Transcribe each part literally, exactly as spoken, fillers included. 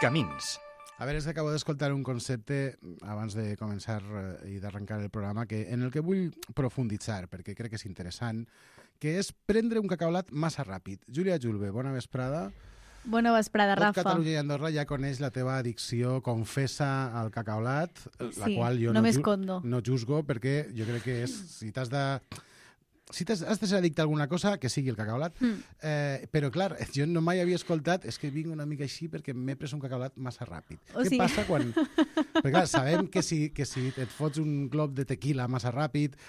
Camins. A veure, és que acabo d'escoltar un concepte abans de començar eh, i d'arrencar el programa que, en el que vull profunditzar, perquè crec que és interessant, que és prendre un cacaulat massa ràpid. Júlia Julve, bona vesprada. Bona vesprada, Tot Rafa. Catalunya i Andorra ja coneix la teva addicció confessa al cacaulat, la Sí, qual jo no no, m'escondo. no juzgo, perquè jo crec que és, si t'has de... Si has, has de ser addicte a alguna cosa, que sigui el cacaulat. Mm. Eh, però, clar, jo no mai havia escoltat, és que vinc una mica així perquè m'he pres un cacaulat massa ràpid. O Què sigui... passa quan... Perquè, clar, sabem que si, que si et fots un glob de tequila massa ràpid,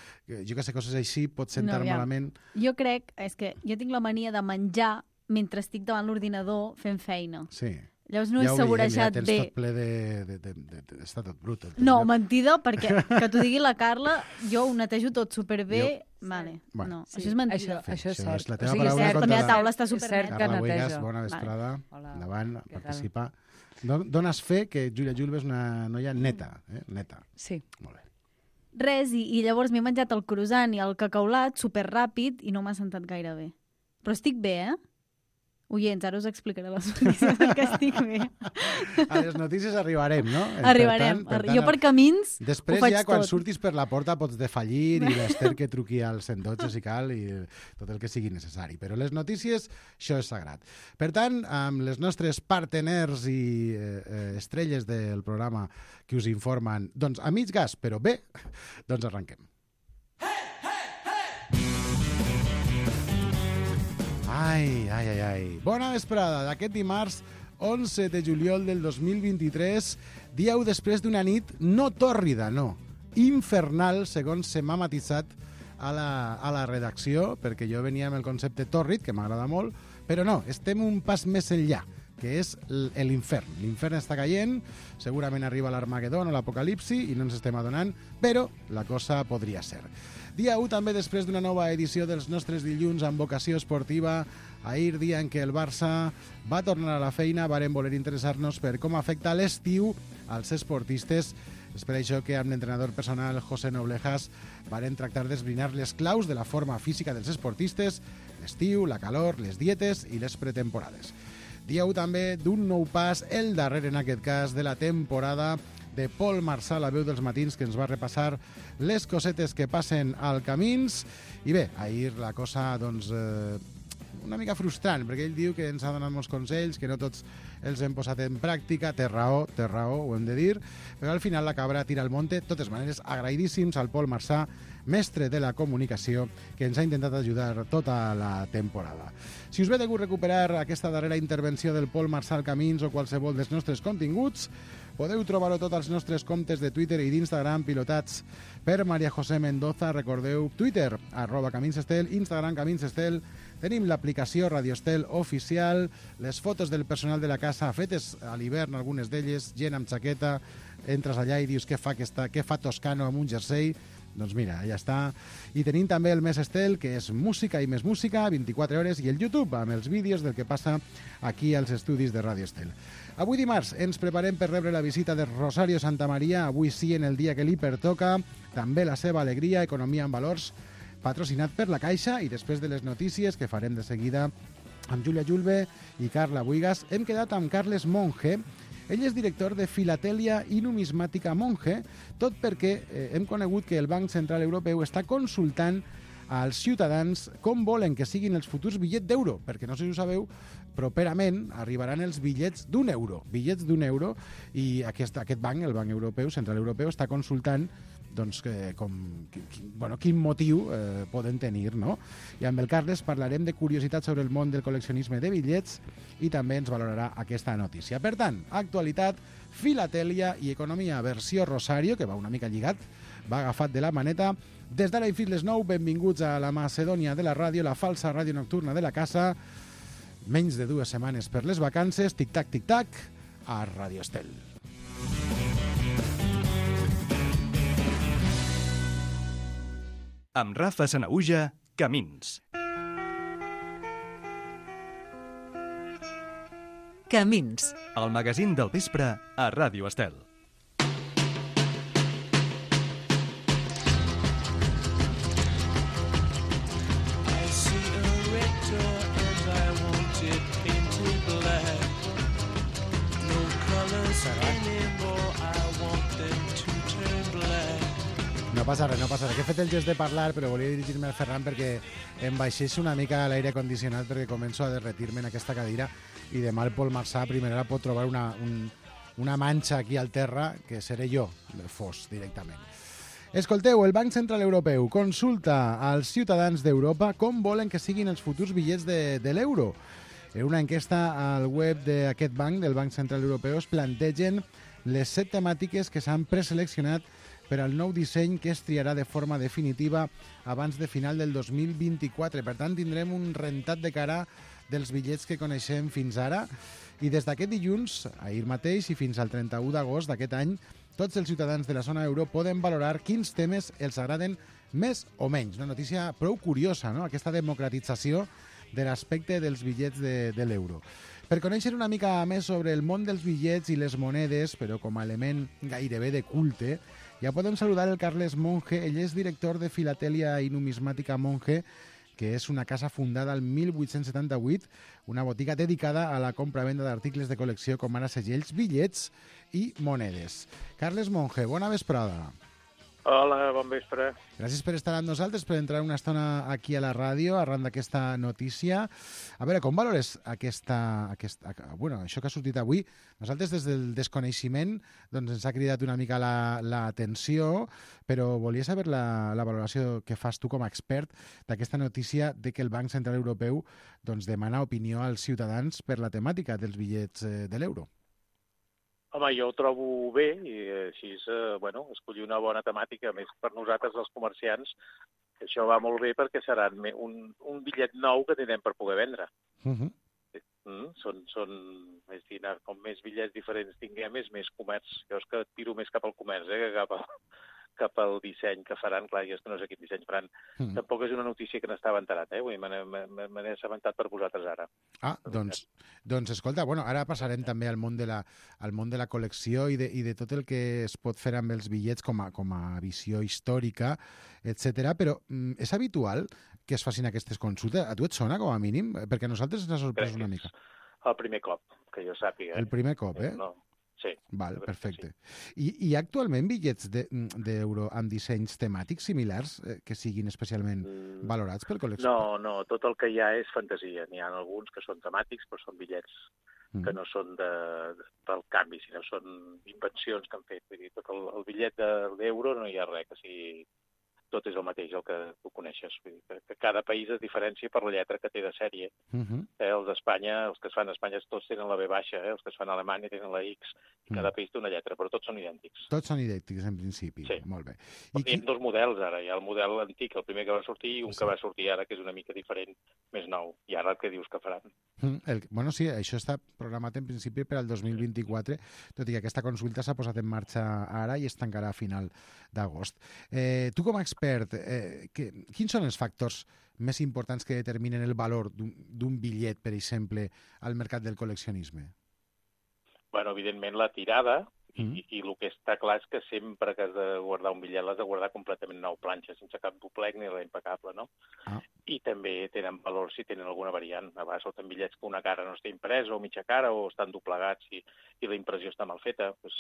jo que sé, coses així, pot sentar No, ja. malament. Jo crec, és que jo tinc la mania de menjar mentre estic davant l'ordinador fent feina. Sí. Llavors no ja he ho veiem, saborejat ja tens bé. tot ple de... de, de, de, de està tot brut. Tot No, lloc. mentida, perquè que t'ho digui la Carla, jo ho netejo tot superbé. Jo- Vale, Bueno. no, Sí, això és mentida. Això, això és Això cert. és la teva O sigui, paraula és cert, contra també la- la taula està és cert superneta. que Carla Buigas, neteja. bona vesprada. Hola. Endavant, Què tal? participa. Don- Dones fe que Júlia Julve és una noia neta, eh? Neta. Sí. Molt bé. Res, i, i llavors m'he menjat el croissant i el cacaulat superràpid i no m'ha sentat gaire bé. Però estic bé, eh? Oients, ara us explicaré les notícies que estic bé. A les notícies arribarem, no? Per Arribarem. tant, per jo tant, per camins Després ho faig ja quan tot. surtis per la porta pots defallir i l'Ester que truqui al cent dotze si cal i tot el que sigui necessari. Però les notícies, això és sagrat. Per tant, amb les nostres parteners i eh, eh, estrelles del programa que us informen, doncs a mig gas, però bé, doncs arrenquem. Ai, ai, ai, ai. Bona vesprada d'aquest dimarts onze de juliol del dos mil vint-i-tres, dia u després d'una nit no tòrrida, no, infernal, segons se m'ha matisat a la, a la redacció, perquè jo venia amb el concepte tòrrid, que m'agrada molt, però no, estem un pas més enllà, que és l- l'infern. L'infern està caient, segurament arriba l'Armagedon o l'Apocalipsi i no ens estem adonant, però la cosa podria ser. Dia u també després d'una nova edició dels nostres dilluns amb vocació esportiva. Ahir, dia en què el Barça va tornar a la feina, varen voler interessar-nos per com afecta l'estiu als esportistes. És per això que amb l'entrenador personal José Noblejas varen tractar d'esbrinar les claus de la forma física dels esportistes, l'estiu, la calor, les dietes i les pretemporades. Dia u també d'un nou pas, el darrer en aquest cas de la temporada, de Pol Marçà, la veu dels matins, que ens va repassar les cosetes que passen al Camins. I bé, ahir la cosa, doncs, eh, una mica frustrant, perquè ell diu que ens ha donat molts consells, que no tots els hem posat en pràctica. Té raó, té raó, ho hem de dir, però al final la cabra tira al monte. De totes maneres, agraïdíssims al Pol Marçà, mestre de la comunicació, que ens ha intentat ajudar tota la temporada. Si us ve de gust recuperar aquesta darrera intervenció del Pol Marçà al Camins o qualsevol dels nostres continguts, podeu trobar-ho tot als nostres comptes de Twitter i d'Instagram pilotats per Maria José Mendoza. Recordeu, Twitter, arroba Camins Estel, Instagram Camins Estel. Tenim l'aplicació Radio Estel oficial, les fotos del personal de la casa fetes a l'hivern, algunes d'elles, gent amb xaqueta, entres allà i dius què fa, aquesta, què fa Toscano amb un jersei. Doncs mira, ja està. I tenim també el Més Estel, que és música i més música, vint-i-quatre hores, i el YouTube, amb els vídeos del que passa aquí als estudis de Ràdio Estel. Avui dimarts ens preparem per rebre la visita de Rosario Santamaría, avui sí en el dia que li pertoca, també la seva alegria, Economia en Valors, patrocinat per la Caixa, i després de les notícies que farem de seguida amb Júlia Julve i Carla Buigas, hem quedat amb Carles Monge. Ell és director de Filatèlia i Numismàtica Monge, tot perquè eh, hem conegut que el Banc Central Europeu està consultant als ciutadans com volen que siguin els futurs bitllets d'euro, perquè no sé si ho sabeu, properament arribaran els bitllets d'un euro, bitllets d'un euro, i aquest, aquest banc, el Banc Europeu, Central Europeu, està consultant doncs, que, com, qui, bueno, quin motiu eh, poden tenir, no? I amb el Carles parlarem de curiositats sobre el món del col·leccionisme de bitllets i també ens valorarà aquesta notícia. Per tant, actualitat, filatèlia i economia versió Rosario, que va una mica lligat, va agafat de la maneta. Des d'ara i fins les nou, benvinguts a la Macedònia de la ràdio, la falsa ràdio nocturna de la casa. Menys de dues setmanes per les vacances, tic-tac, tic-tac, a Ràdio Estel. Amb Rafa Sanaüja, Camins. Camins. El magazín del vespre a Ràdio Estel. No passa res, no passa res. Que he fet el gest de parlar, però volia dirigir-me al Ferran perquè em baixés una mica l'aire condicionat perquè començo a derretir-me en aquesta cadira i demà el Pol Marçà a primera hora pot trobar una, un, una manxa aquí al terra que seré jo, del fos, directament. Escolteu, el Banc Central Europeu consulta als ciutadans d'Europa com volen que siguin els futurs bitllets de, de l'euro. En una enquesta al web d'aquest banc, del Banc Central Europeu, es plantegen les set temàtiques que s'han preseleccionat per al nou disseny que es triarà de forma definitiva abans de final del dos mil vint-i-quatre. Per tant, tindrem un rentat de cara dels bitllets que coneixem fins ara. I des d'aquest dilluns, ahir mateix, i fins al trenta-u d'agost d'aquest any, tots els ciutadans de la zona euro poden valorar quins temes els agraden més o menys. Una notícia prou curiosa, no?, aquesta democratització de l'aspecte dels bitllets de, de l'euro. Per conèixer una mica més sobre el món dels bitllets i les monedes, però com a element gairebé de culte, ja podem saludar el Carles Monge. Ell és director de Filatèlia i Numismàtica Monge, que és una casa fundada el mil vuit-cents setanta-vuit, una botiga dedicada a la compra-venda d'articles de col·lecció com ara segells, bitllets i monedes. Carles Monge, bona vesprada. Hola, bon vespre. Gràcies per estar amb nosaltres, per entrar una estona aquí a la ràdio, arran d'aquesta notícia. A veure, com valores aquesta, aquesta, bueno, això que ha sortit avui? Nosaltres, des del desconeixement, doncs ens ha cridat una mica l'atenció, la, però volia saber la, la valoració que fas tu com a expert d'aquesta notícia de que el Banc Central Europeu doncs, demana opinió als ciutadans per la temàtica dels bitllets eh, de l'euro. Home, jo ho trobo bé i així, eh, bueno, escollir una bona temàtica, més per nosaltres, els comerciants, això va molt bé perquè serà un, un bitllet nou que tindrem per poder vendre. Uh-huh. Mm, són, són més dinar, com més bitllets diferents tinguem, és més comerç. Jo és que tiro més cap al comerç, eh, que cap, a, cap al disseny que faran. Clar, jo és que no sé quin disseny faran. Uh-huh. Tampoc és una notícia que n'estava enterat, eh? Me n'he assabentat per vosaltres ara. Ah, doncs, doncs escolta, bueno, ara passarem també al món de la, al món de la col·lecció i de, i de tot el que es pot fer amb els bitllets com a, com a visió històrica, etcètera. Però mm, és habitual que es facin aquestes consultes? A tu et sona, com a mínim? Perquè a nosaltres ens ha sorprès una mica. El primer cop, que jo sàpiga. Eh? El primer cop, eh? No. Sí. Val, perfecte. Sí. I, I actualment bitllets d'euro de, amb dissenys temàtics similars eh, que siguin especialment mm. valorats per col·lecció? No, no, tot el que hi ha és fantasia. N'hi ha alguns que són temàtics, però són bitllets mm. que no són de, de, del canvi, sinó són invencions que han fet. Vull dir, tot el, el bitllet d'euro no hi ha res, que sigui... tot és el mateix, el que tu coneixes. Vull dir, que, que cada país es diferencia per la lletra que té de sèrie. Uh-huh. eh, els d'Espanya, els que es fan a Espanya, tots tenen la B baixa, eh, els que es fan a Alemanya tenen la X, i cada uh-huh. país té una lletra, però tots són idèntics. Tots són idèntics, en principi. Sí. Molt bé. I hi ha dos models, ara. Hi ha el model antic, el primer que va sortir, i un sí. que va sortir ara, que és una mica diferent, més nou. I ara què dius que faran? Uh-huh. El, bueno, sí, això està programat en principi per al dos mil vint-i-quatre, tot i que aquesta consulta s'ha posat en marxa ara i es tancarà a final d'agost. Eh, tu com a expert, eh, Que, quins són els factors més importants que determinen el valor d'un bitllet, per exemple, al mercat del col·leccionisme? Bueno, evidentment la tirada, mm. i, i el que està clar és que sempre que has de guardar un bitllet l'has de guardar completament nou planxa, sense cap doblec ni res impecable, no? Ah. I també tenen valor si tenen alguna variant. A vegades són bitllets que una cara no està impresa o mitja cara o estan doblegats i, i la impressió està mal feta, doncs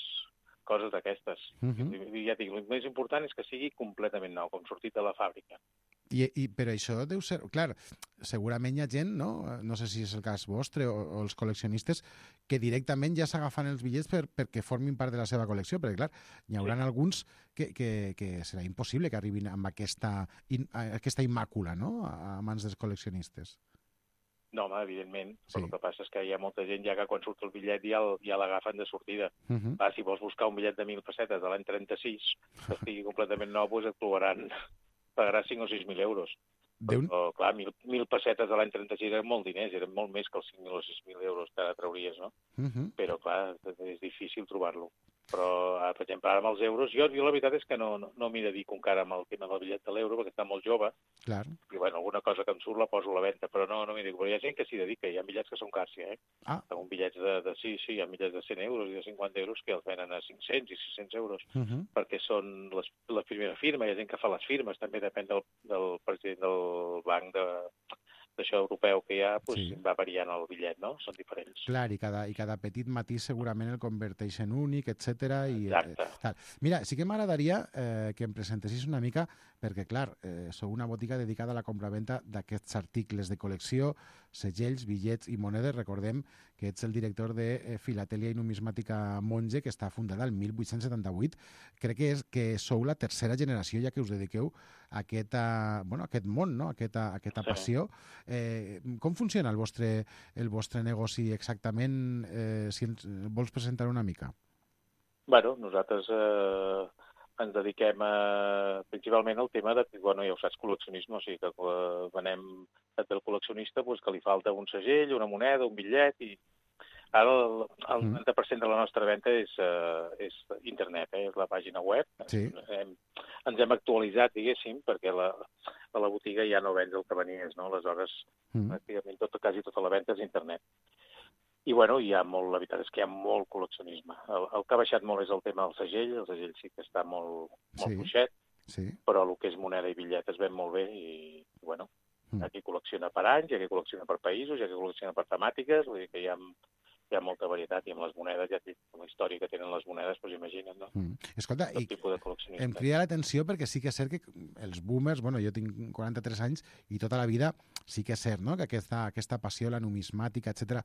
coses d'aquestes. Uh-huh. I ja dic, el més important és que sigui completament nou, com sortit de la fàbrica. I, i però això deu ser... Clar, segurament hi ha gent, no? No sé si és el cas vostre o, o els col·leccionistes, que directament ja s'agafen els bitllets per, perquè formin part de la seva col·lecció, perquè, clar, hi haurà sí. alguns que, que, que serà impossible que arribin amb aquesta, in, aquesta immàcula, no?, a mans dels col·leccionistes. No, home, evidentment. Sí. Però el que passa és que hi ha molta gent ja que quan surt el bitllet ja, el, ja l'agafen de sortida. Uh-huh. Va, si vols buscar un bitllet de mil pessetes de l'any trenta-sis, que estigui completament nou, doncs et trobaran, pagaràs cinc o sis mil euros. Déu... Però, clar, mil, mil pessetes de l'any trenta-sis eren molt diners, eren molt més que els cinc mil o sis mil euros que ara trauries, no? Uh-huh. Però, clar, és difícil trobar-lo. Però, per exemple, ara amb els euros, jo, jo la veritat és que no, no, no m'hi dedico encara amb el tema del bitllet de l'euro, perquè està molt jove. Clar. I, bueno, alguna cosa que em surt la poso a la venda, però no, no m'hi dedico. Però hi ha gent que s'hi dedica, hi ha bitllets que són cars, eh? Ah. Hi ha bitllets de, de, sí, sí, hi ha bitllets de cent euros i de cinquanta euros que els venen a cinc-cents i sis-cents euros, uh-huh. perquè són les, la primera firma, hi ha gent que fa les firmes, també depèn del, del president del banc de, d'això europeu que hi ha, doncs, Sí. va variant el bitllet, no? Són diferents. Clar, i cada, i cada petit matís segurament el converteix en únic, etcètera. I, Exacte. eh, tal. Mira, sí que m'agradaria eh, que em presentessis una mica, perquè, clar, eh, sou una botiga dedicada a la compraventa d'aquests articles de col·lecció, segells, bitllets i monedes. Recordem que ets el director de eh, Filatèlia i Numismàtica Monge, que està fundada el mil vuit-cents setanta-vuit. Crec que és que sou la tercera generació ja que us dediqueu a aquest, a, bueno, a aquest món, no? a aquesta, a aquesta Sí. passió. Eh, com funciona el vostre, el vostre negoci exactament? Eh, si ens vols presentar una mica. Bueno, nosaltres eh, ens dediquem a, principalment al tema de, bueno, ja ho saps, col·leccionisme, o sigui que eh, venem del col·leccionista doncs, que li falta un segell, una moneda, un bitllet, i ara el, el Mm. noranta per cent de la nostra venda és, uh, és internet, eh? És la pàgina web. Sí. Hem, ens hem actualitzat, diguéssim, perquè la, a la botiga ja no vens el que venies, no? Aleshores, Mm. pràcticament tot, quasi tota la venda és internet. I, bueno, hi ha molt, la veritat és que hi ha molt col·leccionisme. El, el que ha baixat molt és el tema del segell, el segell sí que està molt, molt Sí. fluixet, Sí. però el que és moneda i bitllet es ven molt bé i, bueno, Mm. hi ha qui col·lecciona per anys, hi ha qui col·lecciona per països, hi ha qui col·lecciona per temàtiques, vull dir que hi ha, hi ha molta varietat, i amb les monedes, ja et dic, la història que tenen les monedes, doncs imagina't, no? Mm. Escolta, Tot i tipus de em col·leccionisme. crida l'atenció perquè sí que és cert que els boomers, bueno, jo tinc quaranta-tres anys i tota la vida sí que és cert, no?, que aquesta, aquesta passió, la numismàtica, etcètera,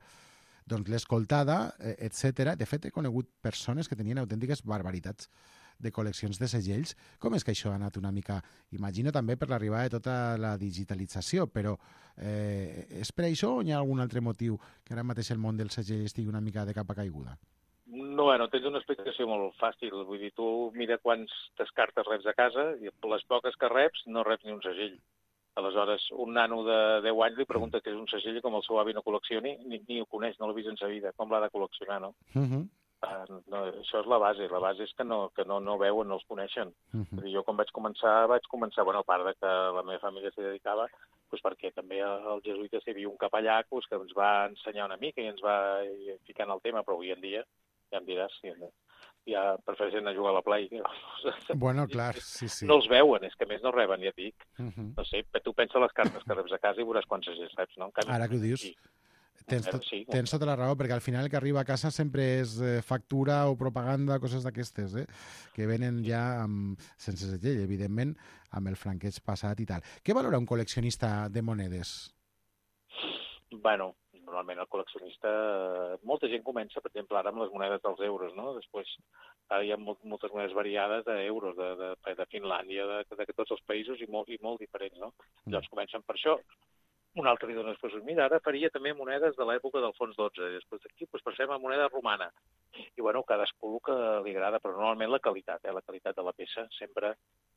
doncs l'he escoltada, eh, etcètera. De fet, he conegut persones que tenien autèntiques barbaritats de col·leccions de segells. Com és que això ha anat una mica, imagino també per l'arribada de tota la digitalització, però eh, és per això o hi ha algun altre motiu que ara mateix el món del segell estigui una mica de capa caiguda? No, bueno, tens una explicació molt fàcil. Vull dir, tu mira quantes cartes reps a casa i les poques que reps no reps ni un segell. Aleshores, un nano de deu anys li pregunta què és un segell i com el seu avi no col·leccioni, ni, ni ho coneix, no l'ha vist en sa vida. Com l'ha de col·leccionar, no? Uh -huh. Uh, no? Això és la base. La base és que no, que no, no veuen, no els coneixen. Uh Vull -huh. dir, jo quan vaig començar, vaig començar, bueno, a part de que la meva família s'hi dedicava, doncs perquè també els jesuïtes hi havia un capellà doncs, que ens va ensenyar una mica i ens va ficar en el tema, però avui en dia, ja em diràs, ja, ja prefereixen a jugar a la Play. Bueno, clar, sí, sí. No els veuen, és que a més no reben, ja et dic. Uh -huh. No sé, tu pensa les cartes que reps a casa i veuràs quants segells reps, no? En canvi, Ara que ho dius, sí. tens, Eh, tot, sí, tens tota la raó, perquè al final el que arriba a casa sempre és eh, factura o propaganda, coses d'aquestes, eh? que venen ja amb, sense segell, evidentment, amb el franqueig passat i tal. Què valora un col·leccionista de monedes? Bueno, normalment el col·leccionista... eh, Molta gent comença, per exemple, ara amb les monedes dels euros, no? Després, ara hi ha molt, moltes monedes variades d'euros, de, de, de Finlàndia, de, de, de tots els països i molt, i molt diferents, no? Mm. Llavors comencen per això. Un altre li dona després, mira, ara faria també monedes de l'època d'Alfons dotze, i després d'aquí doncs, passem a moneda romana. I, bueno, cadascú el que li agrada, però normalment la qualitat, eh? La qualitat de la peça sempre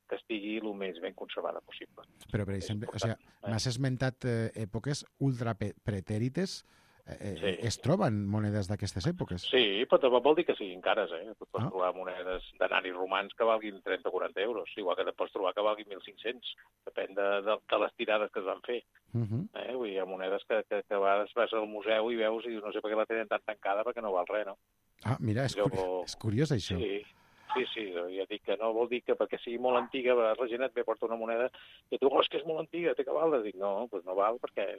que estigui el més ben conservada possible. Però, per exemple, o sigui, m'has esmentat eh, èpoques ultra pretèrites. Eh, Sí. Es troben monedes d'aquestes èpoques? Sí, però tampoc vol dir que siguin cares, eh? Tu pots Ah. trobar monedes d'anaris romans que valguin trenta o quaranta euros, igual que te pots trobar que valguin mil cinc-cents, depèn de, de, de les tirades que es van fer. Uh -huh. Eh? Vull dir, hi ha monedes que, que, que a vegades vas al museu i veus i dius, no sé per què la tenen tan tancada perquè no val res, no? Ah, mira, és, Jo- curi és curiós això. Sí, sí, sí, ja dic que no vol dir que perquè sigui molt antiga, la gent et ve porta una moneda i et diu, oh, és que és molt antiga, té que val? Dic, no, doncs no val perquè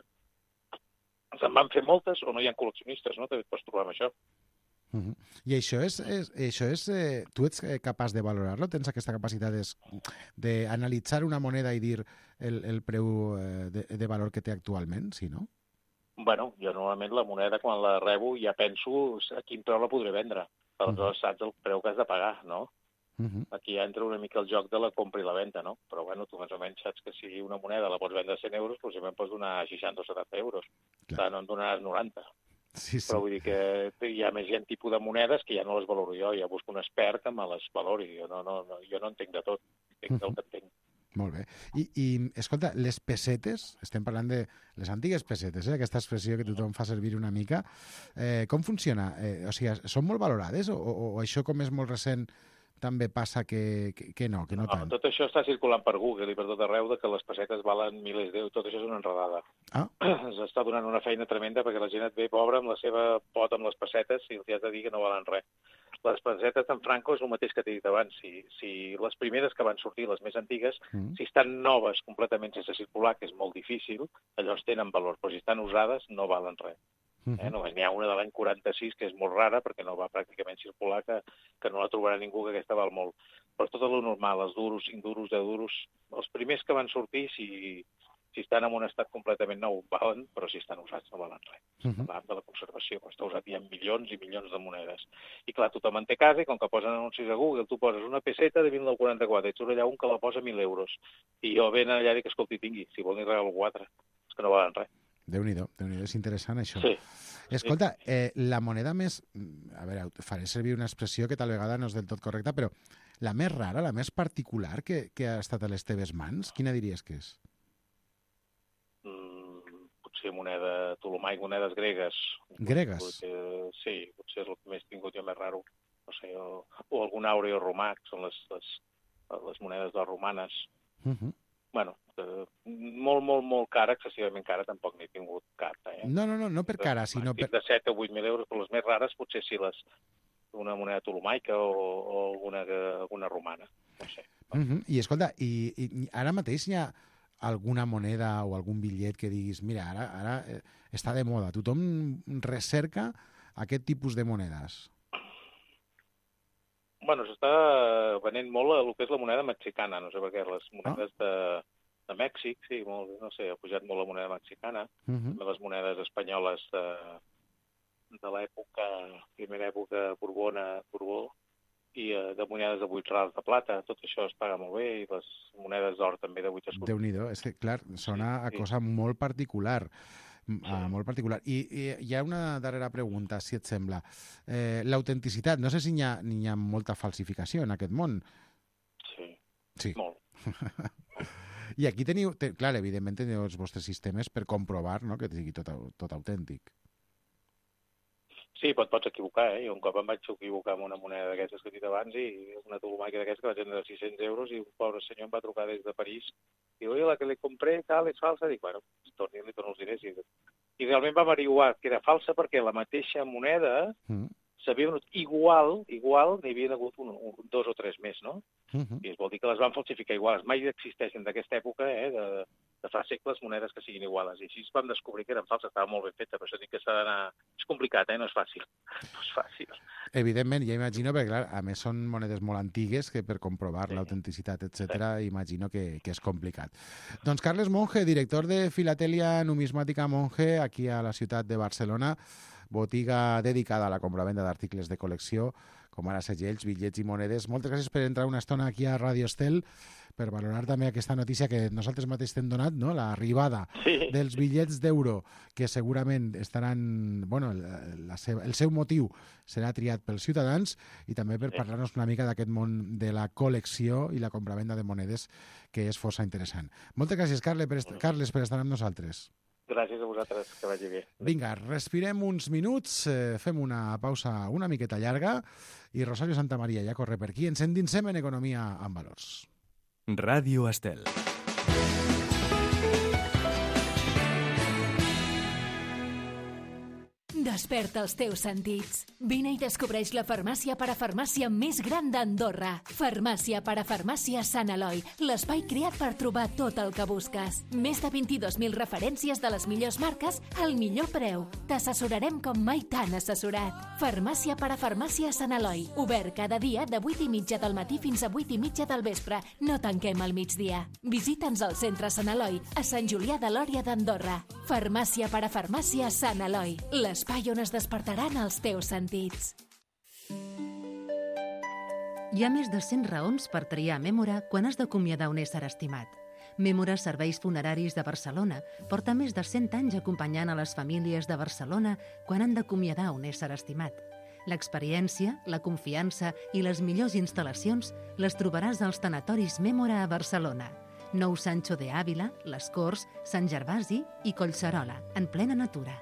se'n van fer moltes o no hi ha col·leccionistes, no? També et pots trobar amb això. Uh -huh. I això és, és, això és eh, tu ets eh, capaç de valorar-lo? Tens aquesta capacitat d'analitzar una moneda i dir el, el preu eh, de, de valor que té actualment, sí, no? Bueno, jo normalment la moneda quan la rebo ja penso a quin preu la podré vendre. Aleshores saps el preu que has de pagar, no? Uh -huh. Aquí ja entra una mica el joc de la compra i la venda, no? Però bueno, tu més o menys saps que si una moneda la pots vendre a cent euros, possiblement pots donar seixanta o setanta euros. Clar, no en donaràs noranta. Sí, sí. Però vull dir que hi ha més gent tipus de monedes que ja no les valoro jo, ja busco un expert que me les valori. Jo no, no, no, jo no entenc de tot, entenc del que entenc. Molt bé. I, i escolta, les pessetes, estem parlant de les antigues pessetes, eh? Aquesta expressió que tothom fa servir una mica, eh, com funciona? Eh, o sigui, són molt valorades o, o, o això com és molt recent també passa que, que, que no, que no, No, tant? tot això està circulant per Google i per tot arreu de que les pessetes valen milers d'euros, tot això és una enredada. Ah. Ens està donant una feina tremenda perquè la gent et ve pobra amb la seva pot amb les pessetes i els has de dir que no valen res. les pessetes d'en Franco és el mateix que t'he dit abans. Si, si les primeres que van sortir, les més antigues, mm. si estan noves completament sense circular, que és molt difícil, llavors tenen valor, però si estan usades no valen res. Mm-hmm. Eh? Només n'hi ha una de l'any quaranta-sis que és molt rara perquè no va pràcticament circular, que, que no la trobarà ningú, que aquesta val molt. Però tot el normal, els duros, induros, euros, els primers que van sortir, si... Si estan en un estat completament nou, valen, però si estan usats no valen res. Mm-hmm. Parlant de la conservació, està usat hi ha milions i milions de monedes. I clar, tothom en té casa i com que posen anuncis a Google, tu poses una peseta de dinou quaranta-quatre i surt allà un que la posa mil euros. I jo ben allà dic, escolti, tingui, si vol n'hi regalo quatre. És que no valen res. Déu-n'hi-do, Déu-n'hi-do, és interessant això. Sí. Escolta, eh, la moneda més... A veure, faré servir una expressió que tal vegada no és del tot correcta, però la més rara, la més particular que, que ha estat a les teves mans, quina diries que és? Potser moneda tolomaic, monedes gregues. Gregues? Potser, sí, potser és el que més tingut jo més raro. No sé, o, o algun àureo romà, que són les, les, les monedes de romanes. Uh-huh. Bueno, eh, molt, molt, molt cara, excessivament cara, tampoc n'he tingut cap. Eh? No, no, no, no per cara, sinó per... De set o vuit mil euros, però les més rares potser sí les una moneda tolomaica o, o alguna, alguna romana. No sé. Uh-huh. I escolta, i, i ara mateix hi ha alguna moneda o algun bitllet que diguis, mira, ara, ara eh, està de moda, tothom recerca aquest tipus de monedes? Bueno, s'està venent molt el que és la moneda mexicana, no sé per què, les monedes ah. de, de Mèxic, sí, molt, no sé, ha pujat molt la moneda mexicana, uh-huh. les monedes espanyoles de, de l'època, primera època borbona, Borbó, i eh, de monedes de vuit rals de plata, tot això es paga molt bé, i les monedes d'or també de vuit escuts. Déu-n'hi-do, és que, clar, sona sí, a sí. cosa molt particular. Sí. A molt particular. I, I hi ha una darrera pregunta, si et sembla. Eh, L'autenticitat, no sé si hi ha, hi ha molta falsificació en aquest món. Sí, sí. molt. I aquí teniu, te, clar, evidentment teniu els vostres sistemes per comprovar, no?, que sigui tot, tot autèntic. Sí, pot, pots equivocar, eh? Jo un cop em vaig equivocar amb una moneda d'aquestes que he dit abans i una tolomaica d'aquestes que vaig vendre de sis-cents euros i un pobre senyor em va trucar des de París i diu, oi, la que li compré, tal, és falsa. Dic, bueno, torni, li torno els diners. I, i realment va averiguar que era falsa perquè la mateixa moneda mm. s'havia venut igual, igual, n'hi havia hagut un, un, dos o tres més, no? Uh-huh. I es vol dir que les van falsificar iguals. Mai existeixen d'aquesta època, eh, de, de fa segles, monedes que siguin iguales. I així vam descobrir que eren falses, estava molt ben feta, però això dic que s'ha d'anar... És complicat, eh? No és fàcil. No és fàcil. Evidentment, ja imagino, perquè clar, a més són monedes molt antigues que per comprovar sí. l'autenticitat, etcètera, sí. imagino que, que és complicat. Doncs Carles Monge, director de Filatèlia Numismàtica Monge, aquí a la ciutat de Barcelona, botiga dedicada a la compravenda d'articles de col·lecció, com ara segells, bitllets i monedes. Moltes gràcies per entrar una estona aquí a Radio Estel, per valorar també aquesta notícia que nosaltres mateix t'hem donat, no? L'arribada sí. dels bitllets d'euro, que segurament estaran... Bueno, la seva, el seu motiu serà triat pels ciutadans, i també per sí. parlar-nos una mica d'aquest món de la col·lecció i la compravenda de monedes, que és força interessant. Moltes gràcies, Carles, per, est- Carles, per estar amb nosaltres. Gràcies a vosaltres, que vagi bé. Vinga, respirem uns minuts, eh, fem una pausa una miqueta llarga i Rosario Santamaria ja corre per aquí. Ens endinsem en economia amb valors. Ràdio Estel. Desperta els teus sentits. Vine i descobreix la farmàcia parafarmàcia més gran d'Andorra. Farmàcia parafarmàcia Sant Eloi, l'espai creat per trobar tot el que busques. Més de vint-i-dos mil referències de les millors marques al millor preu. T'assessorarem com mai t'han assessorat. Farmàcia parafarmàcia Sant Eloi, obert cada dia de vuit i mitja del matí fins a vuit i mitja del vespre. No tanquem al migdia. Visita'ns al centre Sant Eloi, a Sant Julià de Lòria d'Andorra. Farmàcia parafarmàcia Sant Eloi, l'espai on es despertaran els teus sentits. Hi ha més de cent raons per triar Mémora quan has d'acomiadar un ésser estimat. Mémora Serveis Funeraris de Barcelona porta més de cent anys acompanyant a les famílies de Barcelona quan han d'acomiadar un ésser estimat. L'experiència, la confiança i les millors instal·lacions les trobaràs als tanatoris Mémora a Barcelona. Nou Sancho de Ávila, Les Corts, Sant Gervasi i Collserola, en plena natura.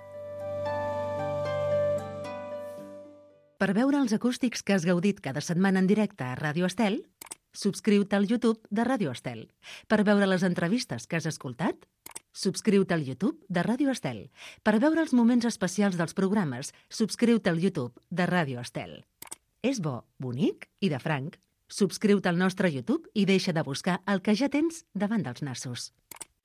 Per veure els acústics que has gaudit cada setmana en directe a Ràdio Estel, subscriu-te al YouTube de Ràdio Estel. Per veure les entrevistes que has escoltat, subscriu-te al YouTube de Ràdio Estel. Per veure els moments especials dels programes, subscriu-te al YouTube de Ràdio Estel. És bo, bonic i de franc. Subscriu-te al nostre YouTube i deixa de buscar el que ja tens davant dels nassos.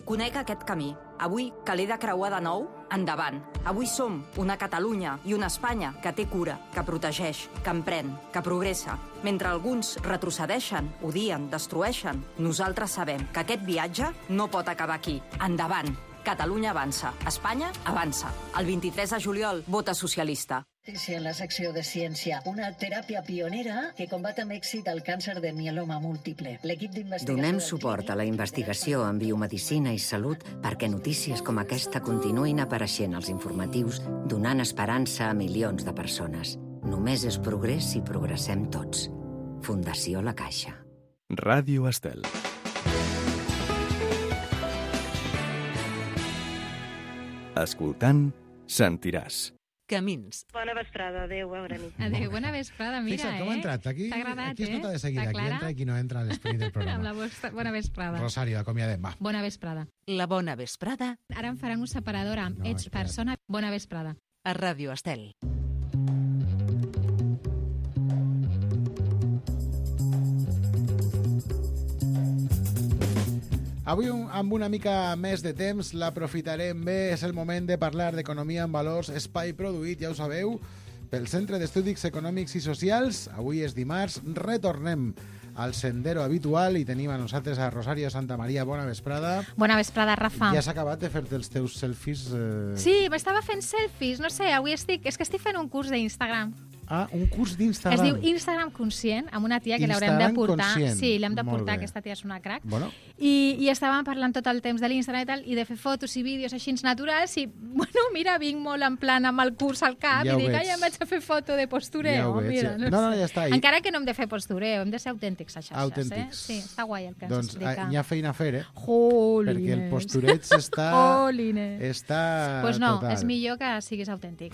Conec aquest camí. Avui, que l'he de creuar de nou, endavant. Avui som una Catalunya i una Espanya que té cura, que protegeix, que emprèn, que progressa. Mentre alguns retrocedeixen, odien, destrueixen, nosaltres sabem que aquest viatge no pot acabar aquí. Endavant. Catalunya avança. Espanya avança. El vint-i-tres de juliol, vota socialista. En la secció de ciència, una teràpia pionera que combat amb èxit el càncer de mieloma múltiple. L'equip d'investigació... Donem suport a la investigació en biomedicina i salut perquè notícies com aquesta continuïn apareixent als informatius, donant esperança a milions de persones. Només és progrés si progressem tots. Fundació La Caixa. Ràdio Estel. Escoltant, sentiràs. Camins. Bona vesprada, adéu, bona nit. Adéu, bona vesprada, mira, Fixa't com ha entrat. Aquí, T'ha agradat, aquí es nota de seguida. La Aquí Clara? entra i qui no entra a l'esperit del programa. Amb la vostra... Bona vesprada. Rosario, acomiadem, va. Bona vesprada. La bona vesprada Ara em faran un separador amb No, ets espera't. persona. Bona vesprada. a Ràdio Estel. Avui, un- amb una mica més de temps, l'aprofitarem bé. És el moment de parlar d'economia en valors, espai produït, ja ho sabeu, pel Centre d'Estudis Econòmics i Socials. Avui és dimarts, retornem al sendero habitual i tenim a nosaltres a Rosario Santa Maria. Bona vesprada. Bona vesprada, Rafa. Ja has acabat de fer-te els teus selfies? Eh... Sí, m'estava fent selfies, no sé, avui estic... És que estic fent un curs d'Instagram. Ah, un curs d'Instagram. Es diu Instagram Conscient, amb una tia que l'haurem de Instagram portar. Conscient. Sí, l'hem de Molt portar, bé. aquesta tia és una crac. Bueno, I, I estàvem parlant tot el temps de l'Instagram i tal, i de fer fotos i vídeos així naturals, i, bueno, mira, vinc molt en plan amb el curs al cap, Ja ho i dic, veig. ai, em vaig a fer foto de postureo. Ja ho veig, mira, ja. no, No, no, sé. ja està. I- Encara que no hem de fer postureo, hem de ser autèntics a xarxes, Autèntics. eh? Sí, està guai el que ens doncs explica. eh, hi ha feina a fer, eh? Jolines. Perquè el postureig està... Jolines. Està Pues no, total. és millor que siguis autèntic.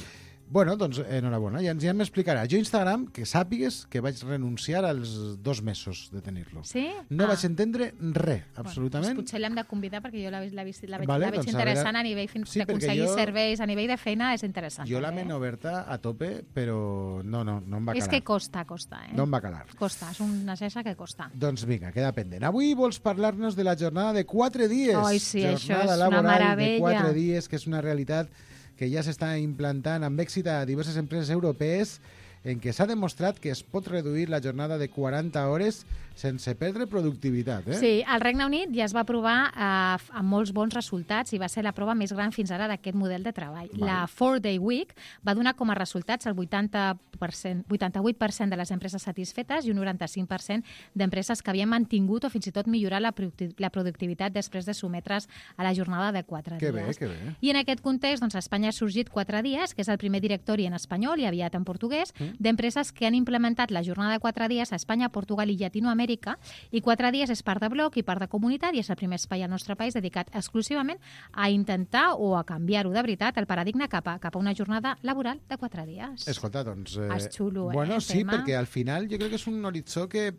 Bueno, doncs enhorabona, ja, ja m'explicarà. Jo Instagram, que sàpigues que vaig renunciar als dos mesos de tenir-lo. Sí? No Ah. vaig entendre res, Bueno, absolutament. doncs potser l'hem de convidar perquè jo la, la, la, veig, Vale, la veig doncs a interessant veure- a nivell fins Sí, perquè d'aconseguir jo- serveis, a nivell de feina és interessant. Jo la també, ment eh? oberta a tope, però no, no, no em va És calar. que costa, costa, eh? No em va calar. Costa, és una xarxa que costa. Doncs vinga, queda pendent. Avui vols parlar-nos de la jornada de quatre dies. Ai, sí, això jornada és una laboral de meravella. quatre dies, que és una realitat que ja s'està implantant amb èxit a diverses empreses europees, en què s'ha demostrat que es pot reduir la jornada de quaranta hores sense perdre productivitat. Eh? Sí, al Regne Unit ja es va provar eh, amb molts bons resultats i va ser la prova més gran fins ara d'aquest model de treball. Vale. La four-day week va donar com a resultats el vuitanta per cent, vuitanta-vuit per cent de les empreses satisfetes i un noranta-cinc per cent d'empreses que havien mantingut o fins i tot millorat la, producti la productivitat després de sotmetre's a la jornada de quatre Que dies. bé, que bé. I en aquest context, doncs, a Espanya ha sorgit quatre dies, que és el primer directori en espanyol i aviat en portuguès, Mm. d'empreses que han implementat la jornada de quatre dies a Espanya, Portugal i Llatinoamèrica, i quatre dies és part de bloc i part de comunitat, i és el primer espai al nostre país dedicat exclusivament a intentar o a canviar-ho de veritat el paradigma cap a, cap a una jornada laboral de quatre dies. Escolta, doncs... Eh, És xulo, eh, Bueno, el sí, tema. perquè al final jo crec que és un horitzó que,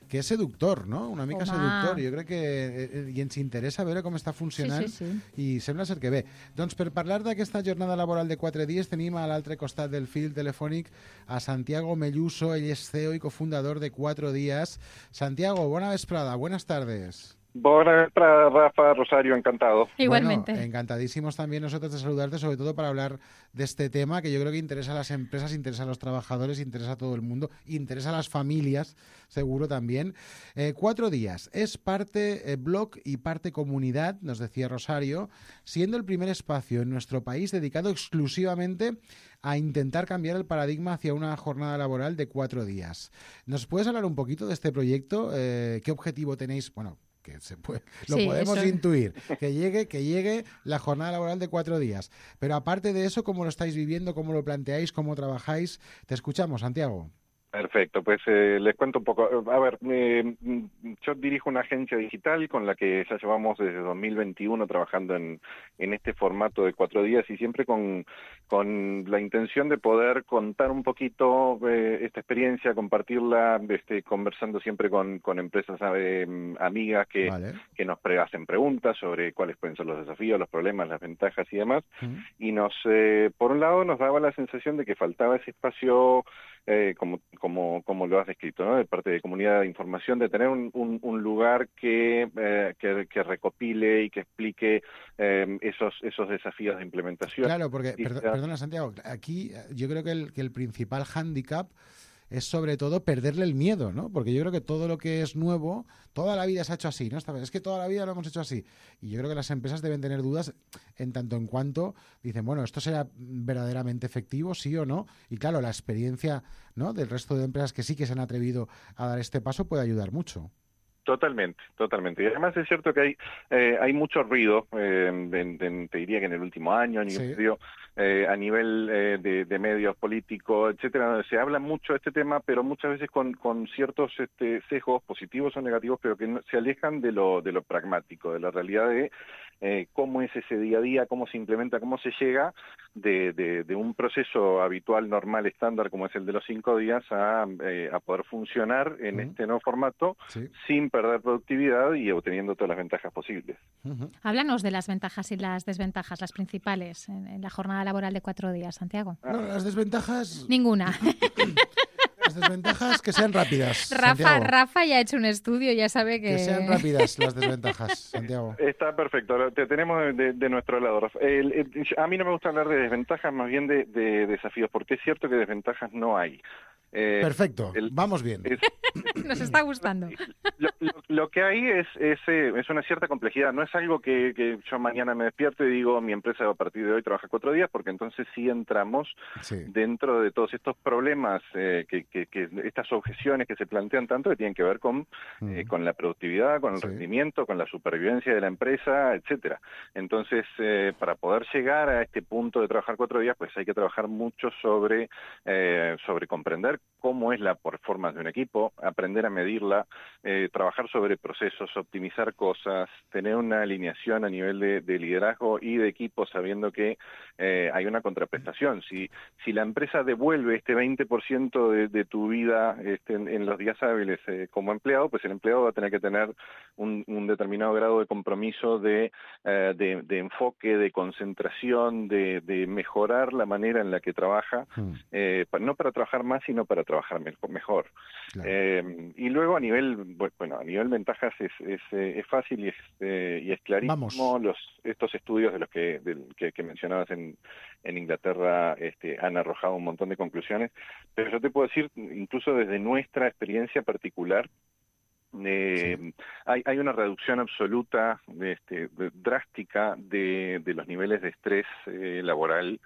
que és seductor, no? Una mica Home. seductor. Jo crec que eh, i ens interessa veure com està funcionant Sí, sí, sí. i sembla ser que bé. Doncs per parlar d'aquesta jornada laboral de quatre dies tenim a l'altre costat del fil telefònic a Santiago Melluso, ell és C E O i cofundador de Cuatro Días. Santiago, bona vesprada, buenas tardes. Buenas tardes, Rafa, Rosario, encantado. Igualmente. Bueno, encantadísimos también nosotros de saludarte, sobre todo para hablar de este tema que yo creo que interesa a las empresas, interesa a los trabajadores, interesa a todo el mundo, interesa a las familias, seguro también. Eh, cuatro días, es parte eh, blog y parte comunidad, nos decía Rosario, siendo el primer espacio en nuestro país dedicado exclusivamente a intentar cambiar el paradigma hacia una jornada laboral de cuatro días. ¿Nos puedes hablar un poquito de este proyecto? Eh, ¿Qué objetivo tenéis? Bueno, que se puede, lo Sí, podemos eso. intuir, que llegue, que llegue la jornada laboral de cuatro días. Pero aparte de eso, ¿cómo lo estáis viviendo? ¿Cómo lo planteáis? ¿Cómo trabajáis? Te escuchamos, Santiago. Perfecto, pues eh, les cuento un poco. A ver, eh, yo dirijo una agencia digital con la que ya llevamos desde dos mil veintiuno trabajando en, en este formato de cuatro días y siempre con, con la intención de poder contar un poquito eh, esta experiencia, compartirla, este, conversando siempre con, con empresas eh, amigas que, Vale. que nos pre hacen preguntas sobre cuáles pueden ser los desafíos, los problemas, las ventajas y demás. Mm. Y nos, eh, por un lado, nos daba la sensación de que faltaba ese espacio eh, como, como, como lo has descrito, ¿no? De parte de comunidad de información, de tener un, un, un lugar que, eh, que, que recopile y que explique eh, esos, esos desafíos de implementación. Claro, porque, perd perdona Santiago, aquí yo creo que el, que el principal hándicap es sobre todo perderle el miedo, ¿no? Porque yo creo que todo lo que es nuevo, toda la vida se ha hecho así, ¿no? Es que toda la vida lo hemos hecho así. Y yo creo que las empresas deben tener dudas en tanto en cuanto dicen, bueno, ¿esto será verdaderamente efectivo, sí o no? Y claro, la experiencia, ¿no?, del resto de empresas que sí que se han atrevido a dar este paso puede ayudar mucho. Totalmente, totalmente. Y además es cierto que hay eh, hay mucho ruido, eh, en, en, te diría que en el último año, año y medio, eh, a nivel eh, de, de medios políticos, etcétera, donde se habla mucho de este tema, pero muchas veces con, con ciertos este, sesgos positivos o negativos, pero que no, se alejan de lo, de lo pragmático, de la realidad de eh, cómo es ese día a día, cómo se implementa, cómo se llega de, de, de un proceso habitual, normal, estándar, como es el de los cinco días, a, eh, a poder funcionar en uh-huh. este nuevo formato, sí. sin perder productividad y obteniendo todas las ventajas posibles. Uh-huh. Háblanos de las ventajas y las desventajas, las principales, en, en la jornada laboral de cuatro días, Santiago. No, las desventajas... Ninguna. Las desventajas que sean rápidas, Rafa, Santiago. Rafa ya ha hecho un estudio, ya sabe que... Que sean rápidas las desventajas, Santiago. Está perfecto, te tenemos de, de nuestro lado, Rafa. El, el, a mí no me gusta hablar de desventajas, más bien de, de desafíos, porque es cierto que desventajas no hay. Eh, Perfecto, el, vamos bien. Es, Nos está gustando. Lo, lo, lo que hay es, es, es una cierta complejidad. No es algo que, que yo mañana me despierto y digo mi empresa a partir de hoy trabaja cuatro días, porque entonces sí entramos sí. dentro de todos estos problemas, eh, que, que, que estas objeciones que se plantean tanto, que tienen que ver con, mm. eh, con la productividad, con el sí. rendimiento, con la supervivencia de la empresa, etcétera. Entonces, eh, para poder llegar a este punto de trabajar cuatro días, pues hay que trabajar mucho sobre, eh, sobre comprender cómo es la performance de un equipo, aprender a medirla, eh, trabajar sobre procesos, optimizar cosas, tener una alineación a nivel de, de liderazgo y de equipo, sabiendo que eh, hay una contraprestación. Si, si la empresa devuelve este veinte por ciento de, de tu vida este, en, en los días hábiles eh, como empleado, pues el empleado va a tener que tener un, un determinado grado de compromiso, de, eh, de, de enfoque, de concentración, de, de mejorar la manera en la que trabaja, mm. eh, no para trabajar más, sino para trabajar mejor. Claro. Eh, y luego a nivel, bueno, a nivel ventajas es, es, es fácil y es, eh, y es clarísimo. Los, estos estudios de los que, de, que, que mencionabas en, en Inglaterra este, han arrojado un montón de conclusiones, pero yo te puedo decir, incluso desde nuestra experiencia particular, Eh, sí. hay, hay una reducción absoluta, este, drástica de, de los niveles de estrés eh, laboral.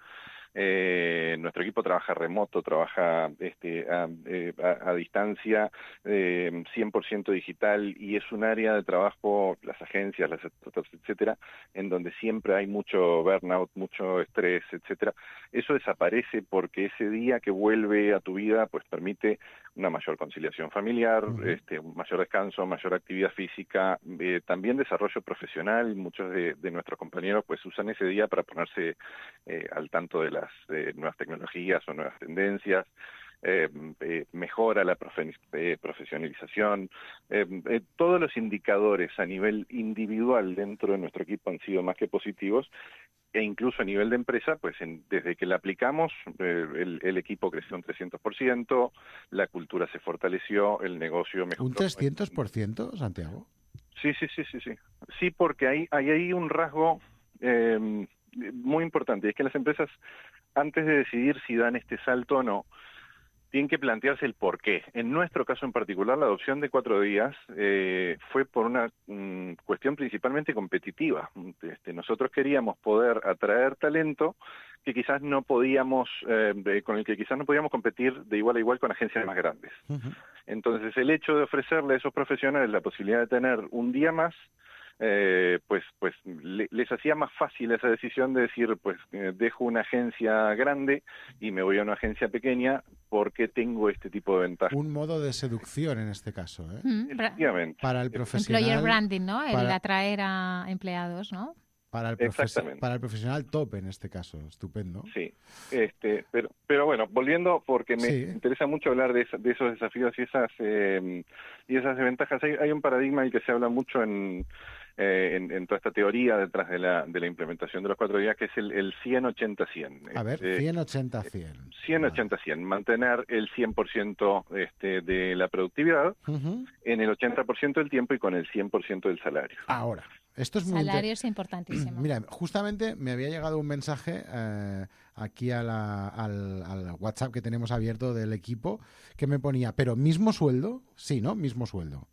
Eh, nuestro equipo trabaja remoto, trabaja este, a, a, a distancia, eh, cien por ciento digital, y es un área de trabajo, las agencias, las etcétera, en donde siempre hay mucho burnout, mucho estrés, etcétera. Eso desaparece porque ese día que vuelve a tu vida, pues permite una mayor conciliación familiar, uh-huh. este, un mayor descanso, mayor actividad física, eh, también desarrollo profesional. Muchos de, de nuestros compañeros pues usan ese día para ponerse eh, al tanto de las eh, nuevas tecnologías o nuevas tendencias. Eh, eh, mejora la profe eh, profesionalización. Eh, eh, todos los indicadores a nivel individual dentro de nuestro equipo han sido más que positivos, e incluso a nivel de empresa, pues en, desde que la aplicamos, eh, el, el equipo creció un trescientos por ciento, la cultura se fortaleció, el negocio mejoró. ¿Un trescientos por ciento, Santiago? Sí, sí, sí, sí, sí. Sí, porque hay, hay ahí un rasgo eh, muy importante, y es que las empresas, antes de decidir si dan este salto o no, tienen que plantearse el por qué. En nuestro caso en particular, la adopción de cuatro días eh, fue por una um, cuestión principalmente competitiva. Este, nosotros queríamos poder atraer talento que quizás no podíamos, eh, de, con el que quizás no podíamos competir de igual a igual con agencias más grandes. Uh-huh. Entonces, el hecho de ofrecerle a esos profesionales la posibilidad de tener un día más, Eh, pues pues le, les hacía más fácil esa decisión de decir, pues eh, dejo una agencia grande y me voy a una agencia pequeña porque tengo este tipo de ventajas. Un modo de seducción en este caso, ¿eh? Mm, Efectivamente. Para el profesional. Employer branding, ¿no? El para... atraer a empleados, ¿no? Para el, profe- para el profesional top en este caso, estupendo. Sí, este, pero, pero bueno, volviendo, porque me sí. interesa mucho hablar de, esa, de esos desafíos y esas eh, y esas desventajas. Hay, hay un paradigma del que se habla mucho en, eh, en, en toda esta teoría detrás de la, de la implementación de los cuatro días, que es el, el cien ochenta cien. A ver, este, cien ochenta cien. cien ochenta cien, mantener el cien por ciento este, de la productividad uh-huh. en el ochenta por ciento del tiempo y con el cien por ciento del salario. Ahora, esto es muy salario es importantísimo. Mira, justamente me había llegado un mensaje eh, aquí a la, al, al WhatsApp que tenemos abierto del equipo que me ponía, pero ¿mismo sueldo? Sí, ¿no? Mismo sueldo.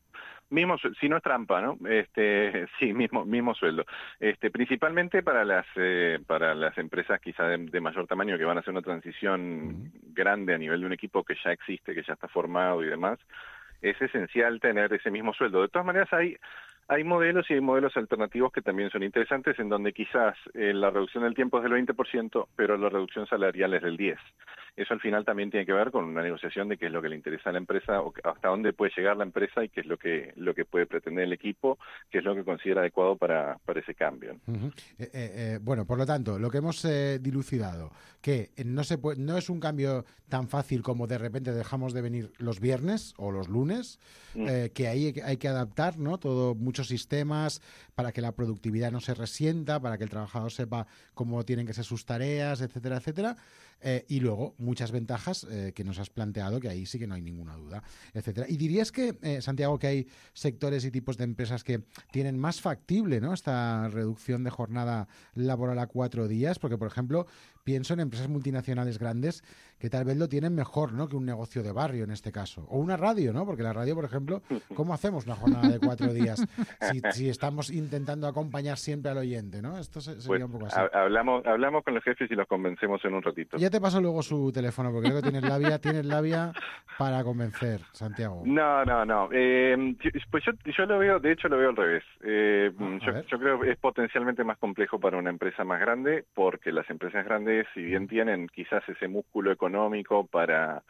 Mismo, si no es trampa, ¿no? Este, sí, mismo, mismo sueldo. Este, principalmente para las, eh, para las empresas quizá de, de mayor tamaño que van a hacer una transición uh-huh. grande a nivel de un equipo que ya existe, que ya está formado y demás. Es esencial tener ese mismo sueldo. De todas maneras, hay, hay modelos y hay modelos alternativos que también son interesantes, en donde quizás eh, la reducción del tiempo es del veinte por ciento, pero la reducción salarial es del diez por ciento. Eso al final también tiene que ver con una negociación de qué es lo que le interesa a la empresa, o hasta dónde puede llegar la empresa y qué es lo que lo que puede pretender el equipo, qué es lo que considera adecuado para, para ese cambio. Uh-huh. eh, eh, eh, bueno, por lo tanto, lo que hemos eh, dilucidado, que no, se puede, no es un cambio tan fácil como de repente dejamos de venir los viernes o los lunes, uh-huh. eh, que ahí hay que adaptar, ¿no? Todo, muchos sistemas para que la productividad no se resienta, para que el trabajador sepa cómo tienen que ser sus tareas, etcétera, etcétera. Eh, y luego muchas ventajas eh, que nos has planteado, que ahí sí que no hay ninguna duda, etcétera. Y dirías que, eh, Santiago, que hay sectores y tipos de empresas que tienen más factible, ¿no?, esta reducción de jornada laboral a cuatro días, porque, por ejemplo, pienso en empresas multinacionales grandes que tal vez lo tienen mejor, ¿no?, que un negocio de barrio en este caso. O una radio, ¿no? Porque la radio, por ejemplo, ¿cómo hacemos una jornada de cuatro días si, si estamos intentando acompañar siempre al oyente, ¿no? Esto sería pues, un poco así. Hablamos, hablamos con los jefes y los convencemos en un ratito. Ya te paso luego su teléfono, porque creo que tienes labia, tienes labia para convencer, Santiago. No, no, no. Eh, pues yo, yo lo veo, de hecho lo veo al revés. Eh, ah, yo, yo creo que es potencialmente más complejo para una empresa más grande, porque las empresas grandes, si bien tienen quizás ese músculo económico para...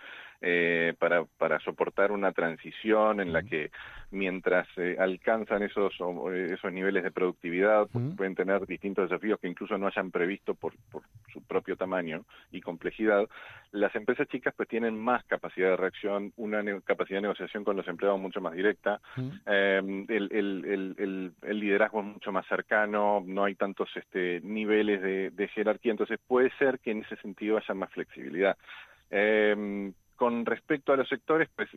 Eh, para, para soportar una transición en la que mientras eh, alcanzan esos, esos niveles de productividad, uh-huh. pueden tener distintos desafíos que incluso no hayan previsto por, por su propio tamaño y complejidad. Las empresas chicas pues tienen más capacidad de reacción, una ne- capacidad de negociación con los empleados mucho más directa, uh-huh. eh, el, el, el, el, el liderazgo es mucho más cercano, no hay tantos este, niveles de, de jerarquía, entonces puede ser que en ese sentido haya más flexibilidad. Eh, Con respecto a los sectores, pues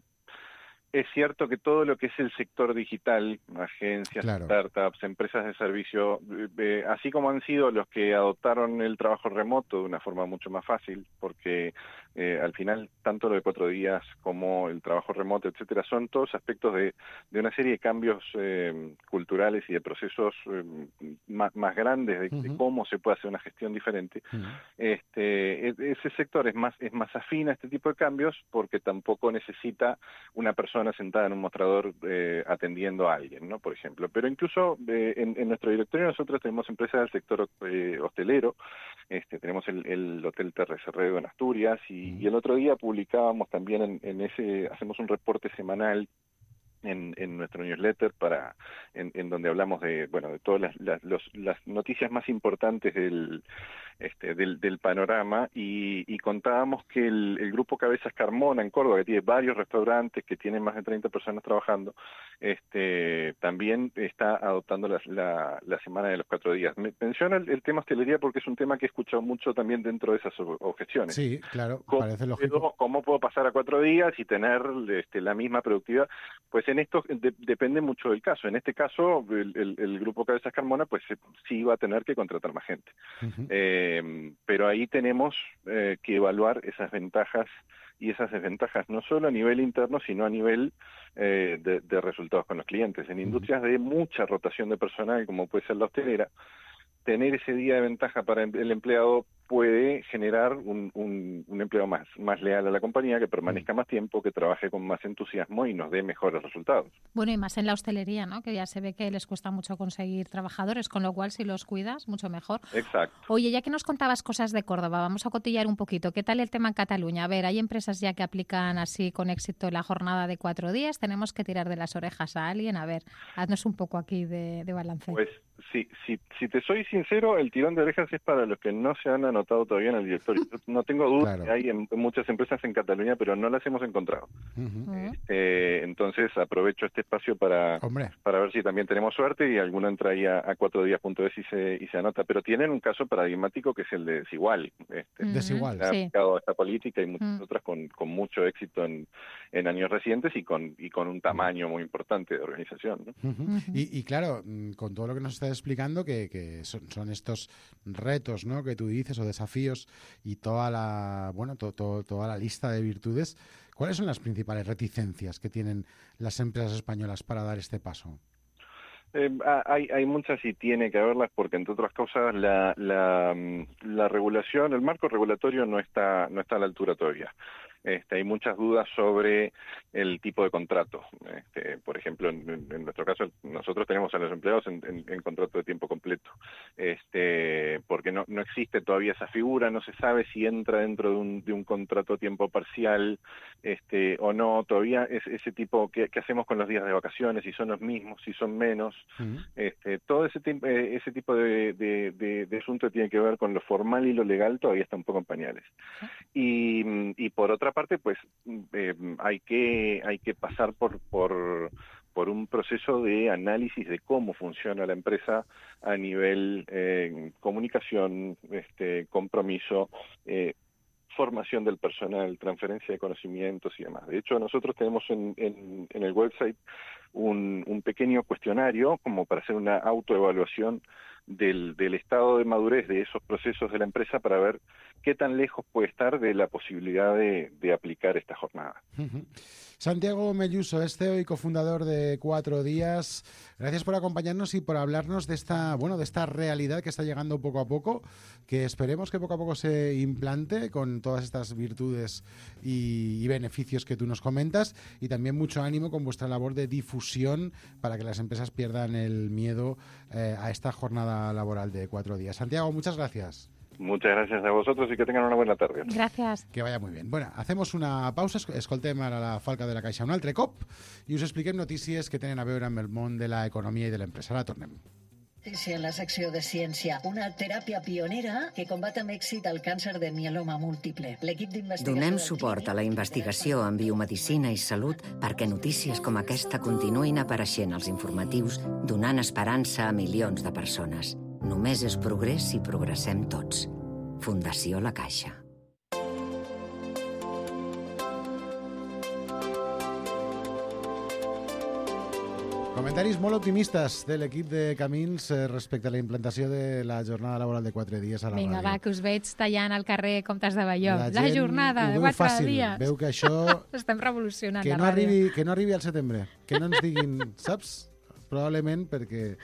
es cierto que todo lo que es el sector digital, agencias, claro. startups, empresas de servicio, eh, así como han sido los que adoptaron el trabajo remoto de una forma mucho más fácil, porque eh, al final tanto lo de cuatro días como el trabajo remoto, etcétera, son todos aspectos de, de una serie de cambios eh, culturales y de procesos eh, más, más grandes de, uh-huh. de cómo se puede hacer una gestión diferente. Uh-huh. Este, ese sector es más es más afín a este tipo de cambios porque tampoco necesita una persona sentada en un mostrador eh, atendiendo a alguien, ¿no? Por ejemplo. Pero incluso eh, en, en nuestro directorio nosotros tenemos empresas del sector eh, hostelero, este, tenemos el, el Hotel Terre Cerrero en Asturias y, mm. y el otro día publicábamos también en, en ese, hacemos un reporte semanal En, en nuestro newsletter para en, en donde hablamos de bueno de todas las, las, los, las noticias más importantes del este del, del panorama y, y contábamos que el, el grupo Cabezas Carmona en Córdoba, que tiene varios restaurantes, que tiene más de treinta personas trabajando, este también está adoptando la, la, la semana de los cuatro días. Me menciono el, el tema hostelería porque es un tema que he escuchado mucho también dentro de esas objeciones. Sí, claro, ¿Cómo parece lógico. Puedo, ¿Cómo puedo pasar a cuatro días y tener este, la misma productividad? Pues en esto de, depende mucho del caso. En este caso, el, el, el grupo Cabezas Carmona, pues sí va a tener que contratar más gente. Uh-huh. Eh, pero ahí tenemos eh, que evaluar esas ventajas y esas desventajas, no solo a nivel interno, sino a nivel eh, de, de resultados con los clientes. En industrias de mucha rotación de personal, como puede ser la hostelera, tener ese día de ventaja para el empleado puede generar un, un, un empleo más, más leal a la compañía, que permanezca más tiempo, que trabaje con más entusiasmo y nos dé mejores resultados. Bueno, y más en la hostelería, ¿no? Que ya se ve que les cuesta mucho conseguir trabajadores, con lo cual si los cuidas, mucho mejor. Exacto. Oye, ya que nos contabas cosas de Córdoba, vamos a cotillar un poquito. ¿Qué tal el tema en Cataluña? A ver, hay empresas ya que aplican así con éxito la jornada de cuatro días. Tenemos que tirar de las orejas a alguien. A ver, haznos un poco aquí de, de balance. Pues Si, si, si te soy sincero, el tirón de orejas es para los que no se han anotado todavía en el directorio. Yo no tengo duda Claro. que hay en, en muchas empresas en Cataluña, pero no las hemos encontrado. Uh-huh. Eh, entonces aprovecho este espacio para, Hombre. para ver si también tenemos suerte y alguno entra ahí a, a cuatro días punto es y se, y se anota. Pero tienen un caso paradigmático que es el de Desigual. Este, Desigual. ha Sí. aplicado esta política y muchas Mm. otras con, con mucho éxito en, en años recientes y con, y con un tamaño muy importante de organización, ¿no? Uh-huh. Ujú. y, y claro, mm, con todo lo que nos estás explicando, que, que son, son estos retos, ¿no?, que tú dices, o desafíos, y toda la, bueno, to, to- toda la lista de virtudes, ¿cuáles son las principales reticencias que tienen las empresas españolas para dar este paso? Eh, ha- hay, hay muchas y tiene que haberlas porque, entre otras cosas, la, la, mm, la regulación, el marco regulatorio no está, no está a la altura todavía. Este, hay muchas dudas sobre el tipo de contrato. Este, por ejemplo, en, en nuestro caso, nosotros tenemos a los empleados en, en, en contrato de tiempo completo, este, porque no, no existe todavía esa figura, no se sabe si entra dentro de un, de un contrato a tiempo parcial este, o no. Todavía es ese tipo, ¿qué, qué hacemos con los días de vacaciones? Si son los mismos, si son menos. Uh-huh. Este, todo ese, tiempo, eh, ese tipo de, de, de, de asunto tiene que ver con lo formal y lo legal, todavía está un poco en pañales. Y, y por otra parte, pues eh, hay que hay que pasar por por por un proceso de análisis de cómo funciona la empresa a nivel eh, comunicación, este, compromiso, eh, formación del personal, transferencia de conocimientos y demás. De hecho, nosotros tenemos en, en, en el website un, un pequeño cuestionario como para hacer una autoevaluación del, del estado de madurez de esos procesos de la empresa para ver qué tan lejos puede estar de la posibilidad de, de aplicar esta jornada. Uh-huh. Santiago Melluso es C E O y cofundador de Cuatro Días. Gracias por acompañarnos y por hablarnos de esta, bueno, de esta realidad que está llegando poco a poco, que esperemos que poco a poco se implante con todas estas virtudes y, y beneficios que tú nos comentas, y también mucho ánimo con vuestra labor de difusión para que las empresas pierdan el miedo eh, a esta jornada laboral de cuatro días. Santiago, muchas gracias. Muchas gracias a vosotros y que tengan una buena tarde. Gràcies. Que vaya muy bien. Bueno, hacemos una pausa, escoltem ara la Falca de la Caixa un altre cop i us expliquem notícies que tenen a veure amb el món de l'economia i de l'empresa. Ara tornem. Notícia en la secció de ciència. Una teràpia pionera que combat amb èxit el càncer de mieloma múltiple. L'equip d'investigació... Donem suport a la investigació en biomedicina i salut perquè notícies com aquesta continuïn apareixent als informatius, donant esperança a milions de persones. Només és progrés si progressem tots. Fundació La Caixa. Comentaris molt optimistes de l'equip de Camins eh, respecte a la implantació de la jornada laboral de quatre dies a la Vinga, ràdio. va, que us veig tallant al carrer Comtes de Balló. La, gent jornada ho de veu quatre fàcil. dies. Veu que això... Estem revolucionant que la no, ràdio. arribi, que no arribi al setembre. Que no ens diguin, saps? Probablement perquè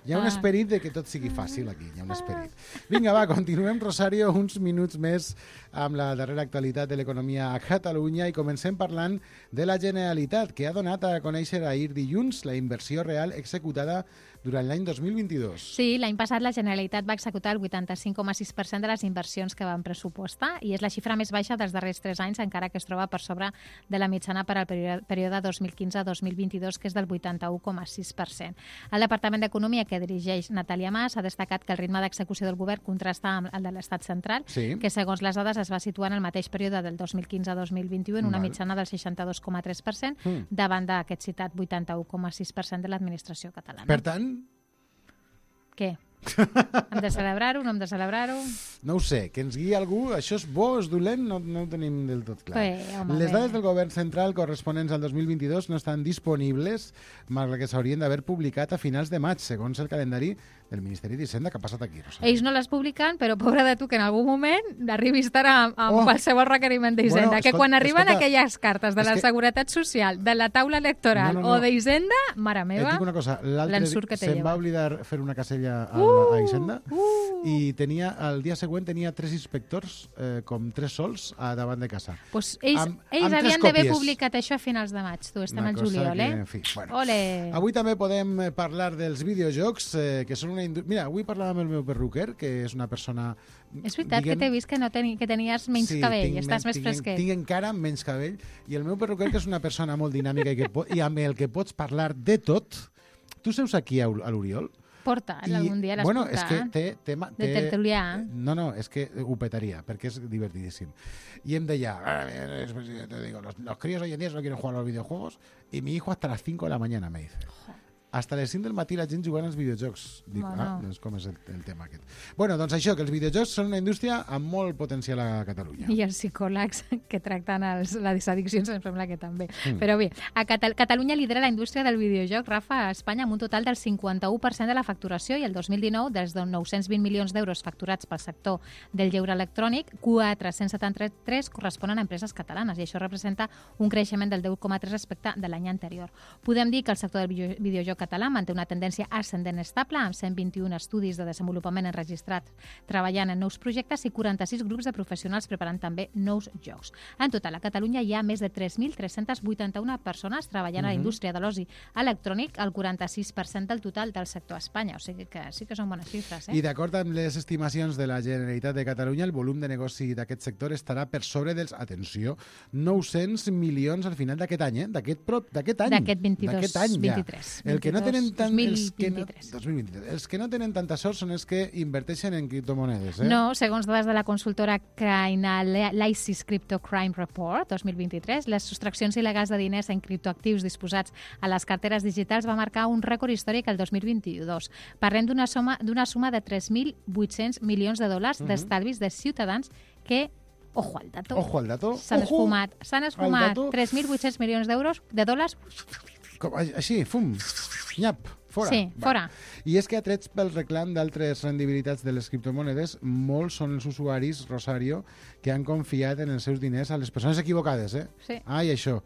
hi ha un Ah. esperit de que tot sigui fàcil aquí, hi ha un esperit. Vinga, va, continuem, Rosario, uns minuts més amb la darrera actualitat de l'economia a Catalunya i comencem parlant de la Generalitat, que ha donat a conèixer ahir dilluns la inversió real executada durant l'any dos mil vint-i-dos. Sí, l'any passat la Generalitat va executar el vuitanta-cinc coma sis per cent de les inversions que van pressupostar i és la xifra més baixa dels darrers tres anys, encara que es troba per sobre de la mitjana per al període, període dos mil quinze a dos mil vint-i-dos, que és del vuitanta-u coma sis per cent. El Departament d'Economia, que dirigeix Natàlia Mas, ha destacat que el ritme d'execució del govern contrasta amb el de l'Estat central, Sí. que segons les dades es va situar en el mateix període del dos mil quinze a dos mil vint-i-u en una Val. mitjana del seixanta-dos coma tres per cent, Mm. davant d'aquest citat vuitanta-u coma sis per cent de l'administració catalana. Per tant, Què? Hem de celebrar-ho, no hem de celebrar-ho? no ho sé, que ens guiï algú, això és bo, és dolent, no, no ho tenim del tot clar. Bé, home, Les bé. dades del govern central corresponents al dos mil vint-i-dos no estan disponibles, malgrat que s'haurien d'haver publicat a finals de maig, segons el calendari del Ministeri d'Hisenda. Què ha passat aquí, Rosa? Ells no les publiquen, però pobra de tu que en algun moment arribis a estar amb, amb Oh. qualsevol requeriment d'Hisenda. Bueno, que escolta, quan arriben escolta, aquelles cartes de és la que- Seguretat Social, de la taula electoral No, no, no. o d'Hisenda, mare Et meva, dic una cosa, l'altre l'ensurt que dia te se'n lleva. va oblidar fer una casella a, Uh, a Hisenda uh. i tenia, el dia següent tenia tres inspectors, eh, com tres sols, a davant de casa. Pues ells, Amb- ells amb tres havien d'haver còpies. publicat això a finals de maig. Tu, estem Una al cosa juliol, que, eh? en fi, bueno. Ole! Avui també podem eh, parlar dels videojocs, eh, que són una indústria... Mira, avui parlàvem amb el meu perruquer, que és una persona... És veritat que t'he vist que, no teni, que tenies menys sí, cabell, tinc estàs men- més tinc, fresquet. Tinc encara menys cabell, i el meu perruquer, que és una persona molt dinàmica i, que po i amb el que pots parlar de tot... Tu seus aquí a a l'Oriol Porta, algun dia l'has bueno, portat. és que té... té, té de tertulià. No, no, és que ho petaria, perquè és divertidíssim. I em deia, te digo, los, los críos hoy en día solo quieren jugar a los videojuegos y mi hijo hasta las cinco de la mañana, me dice. Hasta les cinc del matí la gent jugant als videojocs. Dic, bueno. ah, doncs com és el, el tema aquest. Bueno, doncs això, que els videojocs són una indústria amb molt potencial a Catalunya. I els psicòlegs que tracten els, les addiccions em sembla que també. Mm. Però bé, a Catal Catalunya lidera la indústria del videojoc, Rafa, a Espanya, amb un total del cinquanta-u per cent de la facturació, i el dos mil dinou, dels nou-cents vint milions d'euros facturats pel sector del lleure electrònic, quatre-cents setanta-tres corresponen a empreses catalanes, i això representa un creixement del deu coma tres respecte de l'any anterior. Podem dir que el sector del videojoc català manté una tendència ascendent estable, amb cent vint-i-un estudis de desenvolupament enregistrats treballant en nous projectes i quaranta-sis grups de professionals preparant també nous jocs. En total, a Catalunya hi ha més de tres mil tres-cents vuitanta-una persones treballant uh-huh. a la indústria de l'oci electrònic, el quaranta-sis per cent del total del sector a Espanya. O sigui que sí que són bones xifres. Eh? I d'acord amb les estimacions de la Generalitat de Catalunya, el volum de negoci d'aquest sector estarà per sobre dels, atenció, nou-cents milions al final d'aquest any, eh? d'aquest any. D'aquest vint-i-dos, any, ja. vint-i-tres. El que no tenen tant, dos mil els, que no, vint-i-tres. dos mil vint-i-tres. Els que no tenen tanta sort són els que inverteixen en criptomonedes. Eh? No, segons dades de la consultora Chainalysis Crypto Crime Report dos mil vint-i-tres, les sostraccions il·legals de diners en criptoactius disposats a les carteres digitals va marcar un rècord històric el dos mil vint-i-dos. Parlem d'una suma, d'una suma de tres mil vuit-cents milions de dòlars uh-huh. d'estalvis de ciutadans que, ojo al dato, ojo al dato. s'han Ojo esfumat, s'han esfumat tres mil vuit-cents milions d'euros, de dòlars. Com, així, fum, nyap, fora. Sí, fora. Va. I és que atrets pel reclam d'altres rendibilitats de les criptomonedes, molts són els usuaris, Rosario, que han confiat en els seus diners a les persones equivocades, eh? Sí. Ai, això.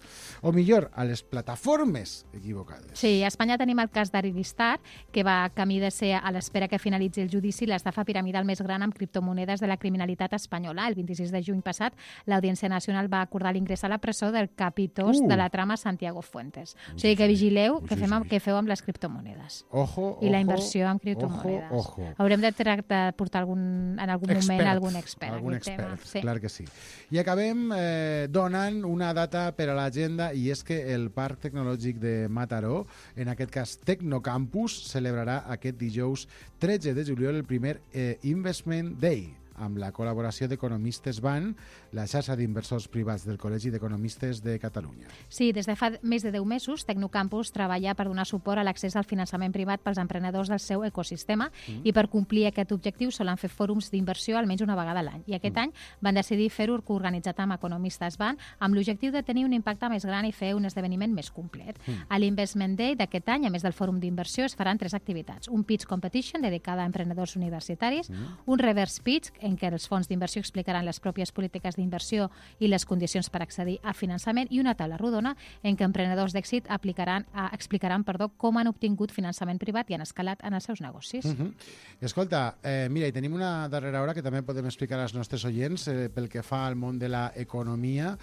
O millor, a les plataformes equivocades. Sí, a Espanya tenim el cas d'Arivistar, que va camí de ser, a l'espera que finalitzi el judici, l'estafa piramidal més gran amb criptomonedes de la criminalitat espanyola. El vint-i-sis de juny passat, l'Audiència Nacional va acordar l'ingrés a la presó del capitós uh. de la trama Santiago Fuentes. O sigui que vigileu Ui, què, sí, fem, sí. què feu amb les criptomonedes. Ojo, I la ojo, inversió en criptomonedes. Ojo, ojo. Haurem de, de portar algun, en algun expert, moment algun expert. Algun expert, expert, sí. clar que sí. I acabem eh, donant una data per a l'agenda, i és que el Parc Tecnològic de Mataró, en aquest cas Tecnocampus, celebrarà aquest dijous tretze de juliol el primer eh, Investment Day, amb la col·laboració d'Economistes Ban, la xarxa d'inversors privats del Col·legi d'Economistes de Catalunya. Sí, des de fa més de deu mesos, Tecnocampus treballa per donar suport a l'accés al finançament privat pels emprenedors del seu ecosistema mm. i per complir aquest objectiu solen fer fòrums d'inversió almenys una vegada a l'any. I aquest mm. any van decidir fer-ho organitzat amb Economistes Ban amb l'objectiu de tenir un impacte més gran i fer un esdeveniment més complet. Mm. A l'Investment Day d'aquest any, a més del fòrum d'inversió, es faran tres activitats. Un pitch competition dedicada a emprenedors universitaris, mm. un reverse pitch en què els fons d'inversió explicaran les pròpies polítiques d'inversió i les condicions per accedir a finançament, i una taula rodona en què emprenedors d'èxit aplicaran, a, explicaran perdó, com han obtingut finançament privat i han escalat en els seus negocis. Uh -huh. Escolta, eh, mira, i tenim una darrera hora que també podem explicar als nostres oients eh, pel que fa al món de l'economia,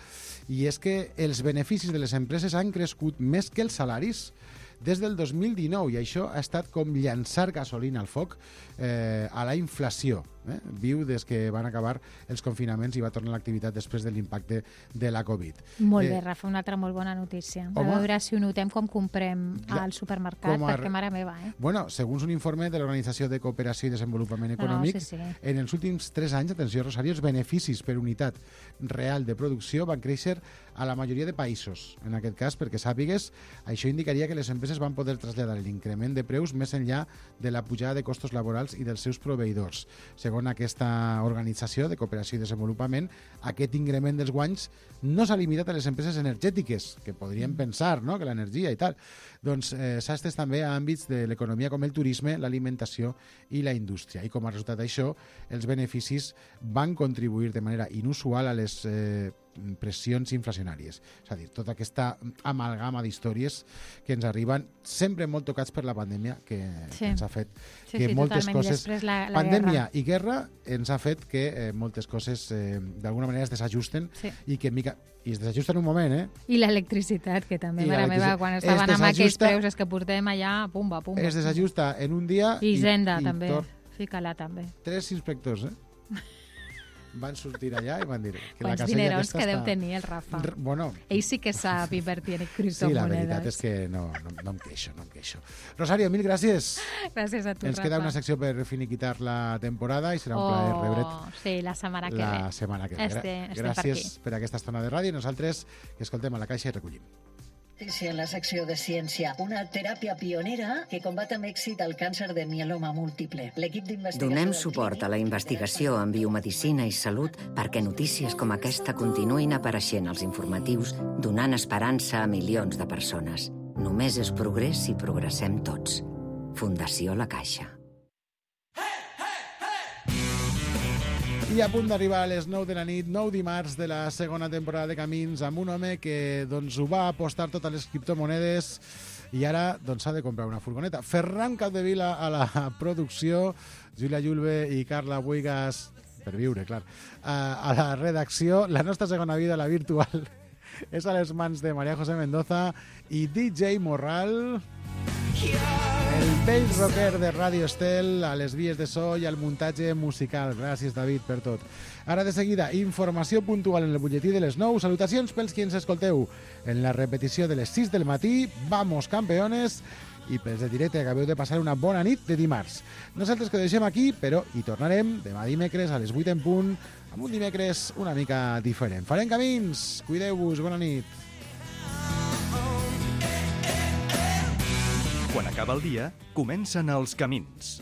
i és que els beneficis de les empreses han crescut més que els salaris des del dos mil dinou, i això ha estat com llançar gasolina al foc eh, a la inflació. Eh? Viu des que van acabar els confinaments i va tornar l'activitat després de l'impacte de la Covid. Molt eh, bé, Rafa, una altra molt bona notícia. Home, a veure si ho notem com comprem ja, al supermercat, a... perquè mare meva, eh? Bueno, segons un informe de l'Organització de Cooperació i Desenvolupament Econòmic, no, sí, sí. en els últims tres anys, atenció, Rosario, els beneficis per unitat real de producció van créixer a la majoria de països. En aquest cas, perquè sàpigues, això indicaria que les empreses van poder traslladar l'increment de preus més enllà de la pujada de costos laborals i dels seus proveïdors. Segons aquesta organització de cooperació i desenvolupament, aquest increment dels guanys no s'ha limitat a les empreses energètiques, que podríem pensar, no?, que l'energia i tal. Doncs eh, s'ha estès també a àmbits de l'economia com el turisme, l'alimentació i la indústria. I com a resultat d'això, els beneficis van contribuir de manera inusual a les eh, pressions inflacionàries. És a dir, tota aquesta amalgama d'històries que ens arriben, sempre molt tocats per la pandèmia, que, sí. que ens ha fet sí, que sí, moltes totalment. coses... La, la pandèmia guerra. i guerra ens ha fet que eh, moltes coses eh, d'alguna manera es desajusten sí. i que mica... i es desajusten un moment, eh? I l'electricitat, que també, mare meva, quan es estaven amb aquells desajusta... preus és que portem allà, pumba, pumba. Es desajusta en un dia... I Hisenda, i, i també. Tor... Fica-la, també. Tres inspectors, eh? van sortir allà i van dir... Que Quants dineros que deu tenir el Rafa. R bueno... Ell sí que sap invertir en criptomonedes. Sí, la veritat és que no, no, no em queixo, no em queixo. Rosario, mil gràcies. Gràcies a tu, Ens Rafa. queda una secció per finiquitar la temporada i serà un oh, plaer rebre't. Sí, la setmana que la ve. La setmana que ve. Este, este gràcies per, per aquesta estona de ràdio i nosaltres que escoltem a la Caixa i recollim. En la secció de ciència, una teràpia pionera que combat amb èxit el càncer de mieloma múltiple. L'equip d'investigació... Donem suport a la investigació en biomedicina i salut perquè notícies com aquesta continuïn apareixent als informatius, donant esperança a milions de persones. Només és progrés si progressem tots. Fundació La Caixa. I a punt d'arribar a les nou de la nit, nou dimarts de la segona temporada de Camins, amb un home que doncs, ho va apostar totes les criptomonedes i ara doncs, ha de comprar una furgoneta. Ferran Capdevila a la producció, Júlia Julve i Carla Buigas, per viure, clar, a la redacció. La nostra segona vida, la virtual, és a les mans de María José Mendoza i D J Morral... El vell rocker de Radio Estel, a les vies de so i al muntatge musical. Gràcies, David, per tot. Ara, de seguida, informació puntual en el butlletí de les nou. Salutacions pels qui ens escolteu en la repetició de les sis del matí. Vamos, campeones! I pels de directe, acabeu de passar una bona nit de dimarts. Nosaltres que ho deixem aquí, però hi tornarem demà dimecres a les vuit en punt, amb un dimecres una mica diferent. Farem camins! Cuideu-vos, bona nit! Quan acaba el dia, comencen els camins.